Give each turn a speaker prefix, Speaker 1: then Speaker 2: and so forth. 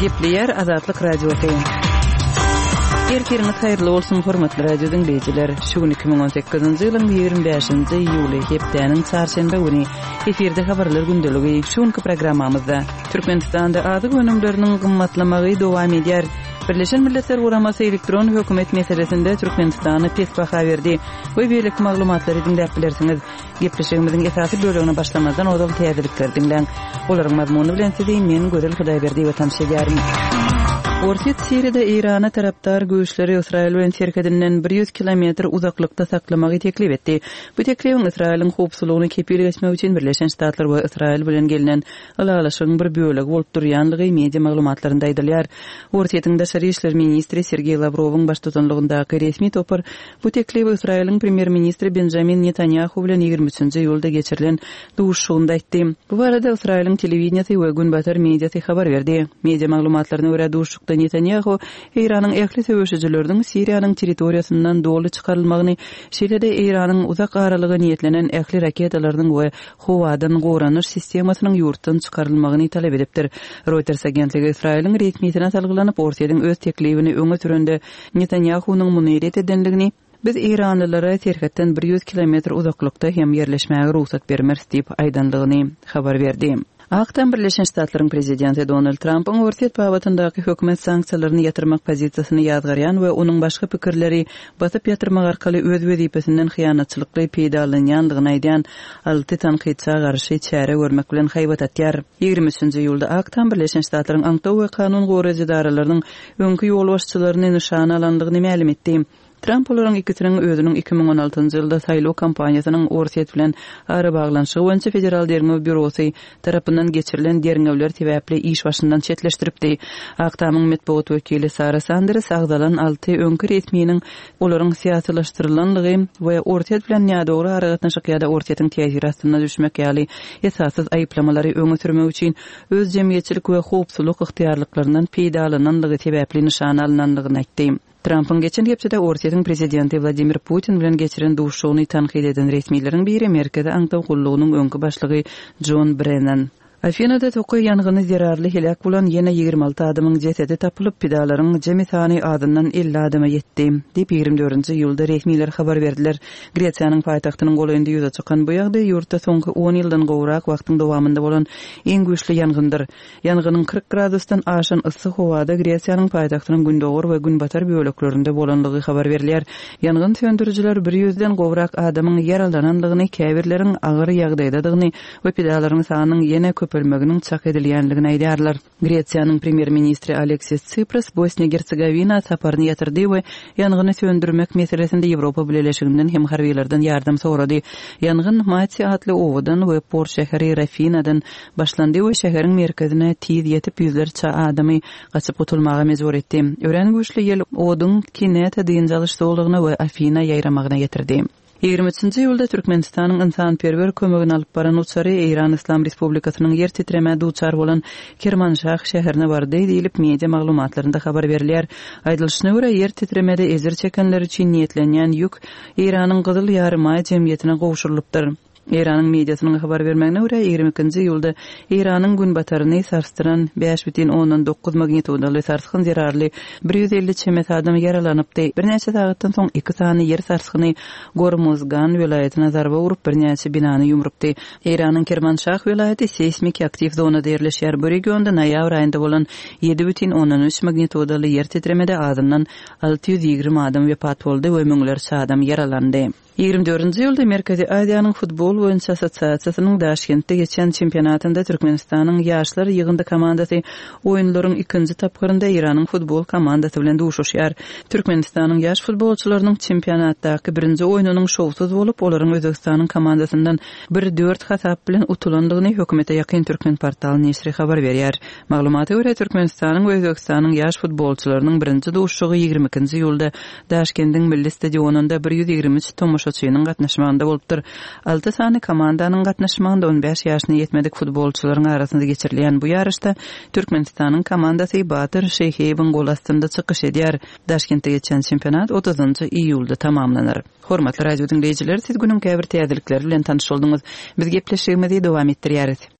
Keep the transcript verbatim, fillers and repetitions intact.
Speaker 1: Gepleýär Azatlyk Radiosy. Ertiriňiz haýyrly bolsun, hormatly radio diňleýjiler. Şu gün iki müň on sekizinji ýylyň ýigrimi bäşinji iýuly, hepdäniň çarşenbe güni. Efirde habarlar gündeligi. Şu günki programmamyzda Türkmenistanda azyk önümleriniň gymmatlamagy dowam edýär. Birleşen Milletler Guramasy elektron hökümet meselesinde Türkmenistana pes baha berdi we beýleki maglumatlary diňläp bilersiňiz. Gepleşigimiziň esasy bölegine başlamazdan ozal täzelikleri diňläň. Olaryň mazmuny bilen sizi men Gözel Hudaýberdiýewa tanyş edýärin. Orsýet Siriýada Eýrana tarapdar güýçleri Ysraýyl bilen serhedinden bir ýüz kilometr uzaklykda saklamagy teklip etdi. Bu teklibiň Ysraýylyň howpsuzlygyny kepil geçmek üçin Birleşen Ştatlar we Ysraýyl bilen gelnen ylalaşygyň bir bölegi bolup durýanlygy media maglumatlarynda aýdylýar. Orsýetiň daşary işler ministri Sergeý Lawrowyň baştutanlygyndaky resmi topar bu teklibi Ysraýylyň premýer-ministri Benjamin Netanýahu bilen ýigrimi üçünji iýulda geçirilen duşuşygynda aýtdy. Bu barada Ysraýylyň telewideniýesi we günbatar mediasy habar berdi. Media maglumatlaryna görä, duşuşykda Netanýahu Eýranyň ähli söweşijileriniň Siriýanyň territoriýasyndan doly çykarylmagyny, şeýle-de Eýranyň uzak aralyga niýetlenen ähli raketalarynyň we howadan goranyş sistemasynyň ýurtdan çykarylmagyny talap edipdir. Reuters agentligi Ysraýylyň resmisine salgylanyp, Orsýetiň öz teklibini öňe sürende Netanýahunyň muny ret edenligini, Biz eýranlylara serhetden bir ýüz kilometr uzaklykda hem ýerleşmäge rugsat bermeris diýip aýdanlygyny habar berdi. Ak Tam Birleşen Ştatlaryň prezidenti Donald Trampyň Orsýet babatyndaky hökümet sanksiýalaryny ýatyrmak pozisiýasyny ýazgarýan we onuň başga pikirleri basyp ýatyrmak arkaly öz wezipesinden hyýanatçylykly peýdalanýanlygyny aýdýan alty tankytça garşy çäre görmek bilen haýbat atýar. Ýigrimi üçünji iýulda Ak Tam Birleşen Ştatlaryň aňtaw we kanun goraýjy edaralarynyň öňki ýolbaşçylaryny nyşana alandygyny mälim etdi. Tramp olaryň ikisiniň özüniň iki müň on altynjy ýylda saýlaw kampaniýasynyň Orsýet bilen arabaglanyşygy boýunça Federal derňew býurosy tarapyndan geçirilen derňewler sebäpli iş başyndan çetleşdiripdi. Ak Tamyň metbugat wekili Sara Sanders agzalan alty öňki resminiň olaryň syýasylaşdyrylanlygy we Orsýet bilen nädogry aragatnaşyk ýa-da Orsýetiň täsiri astyna düşmek ýaly esassyz aýyplamalary öňe sürmek üçin öz jemgyýetçilik we howpsuzlyk ygtyýarlyklaryndan peýdalananlygy sebäpli nyşana alynanlygyny aýtdy. Trampyň geçen hepdede Orsýetiň prezidenti Wladimir Putin bilen geçiren duşuşygyny tankyt eden resmileriň biri Merkezi aňtaw gullugynyň öňki başlygy Jon Brennan. Afinada tokaý ýangyny zerarly heläk bolan ýene ýigrimi alty adamyň jesedi tapylyp, pidalaryň jemi sany azyndan elli adama ýetdi, diýip, ýigrimi dördünji iýulda resmiler habar berdiler. Gresiýanyň paýtagtynyň golaýynda ýüze çykan bu ýagdaý ýurtda soňky on ýyldan gowrak wagtyň dowamynda bolan iň güýçli ýangyndyr. Ýangynyň kyrk gradusdan aşan yssy howada Gresiýanyň paýtagtynyň gündogar we günbatar böleklerinde bolanlygy habar berilýär. Ýangyn söndürijiler bir ýüzden gowrak adamyň ýaralananlygyny, käbirleriň agyr ýagdaýdadygyny we pidalaryň sanynyň ýene köpelmeginiň çak edilýänligini aýdýarlar. Gresiýanyň premýer-ministri Aleksis Tsipras Bosniýa-Gersegowina saparyny ýatyrdy we ýangyny söndürmek meselesinde Ýewropa Bileleşiginden hem harbylardan ýardam sorady. Ýangyn Mati atly obadan we port şäheri Rafinadan başlandy we şäheriň merkezine tiz ýetip ýüzlerçe adamy gaçyp gutulmaga mejbur etdi. Örän güýçli ýel oduň Kineta dynç alyş zolagyna we Afina ýaýramagyna getirdi. Ýigrimi üçünji iýulda Türkmenistanyň ynsanperwer kömegini alyp baran uçary Eýran Yslam Respublikasynyň ýer titremä duçar bolan Kermanşah şäherine bardy diýlip, media maglumatlarynda habar berilýär. Aýdylyşyna görä, ýer titremede ejir çekenler üçin niýetlenýän ýük Eýranyň Gyzyl Ýarymaý jemgyýetine gowşurylypdyr. Eýranyň mediasynyň habar bermegine görä, ýigrimi ikinji iýulda Eýranyň günbataryny sarsdyran bäş bütin ondan dokuz magnitudaly sarsgyn zerarly bir ýüz elli çemesi adam ýaralanypdy. Birnäçe sagatdan soň iki sany ýer sarsgyny Gormuzgan welaýatyna zarba urup, birnäçe binany ýumrupdy. Eýranyň Kermanşah welaýaty seýsmiki aktiw zonada ýerleşýär. Bu regionda noýabr aýynda bolan ýedi bütin ondan üç magnitudaly ýer titremede azyndan alty ýüz ýigrimi adam wepat boldy we müňlerçe adam ýaralandy. Ýigrimi dördünji ýylda Merkezi Aziýanyň futbol boýunça assosiasiýasynyň Daşkentde geçen çempionatynda Türkmenistanyň ýaşlar ýygyndy komandasy oýunlaryň ikinji tapgyrynda Eýranyň futbol komandasy bilen duşuşýar. Türkmenistanyň ýaş futbolçylarynyň çempionatdaky birinji oýnunyň şowsuz bolup, olaryň Özbegistanyň komandasyndan bir dört hasap bilen utulandygyny hökümete ýakyn Türkmenportal neşiri habar berýär. Maglumata görä, Türkmenistanyň we Özbegistanyň ýaş futbolçylarynyň birinji duşuşygy ýigrimi ikinji iýulda Daşkendiň milli stadionynda bir ýüz ýigrimi üç tomaşaçynyň gatnaşmagynda bolupdyr. Alty sany komandanyň gatnaşmagynda on bäş ýaşyna ýetmedik futbolçylaryň arasynda geçirilýän bu ýaryşda Türkmenistanyň komandasy Batyr Şeýhiýewiň gol astynda çykyş edýär. Daşkentde geçýän çempionat otuzynjy iýulda tamamlanar. Hormatly radio diňleýjiler, siz günüň käbir täzelikleri bilen tanyş bolduňyz. Biz gepleşigimizi dowam etdirýäris.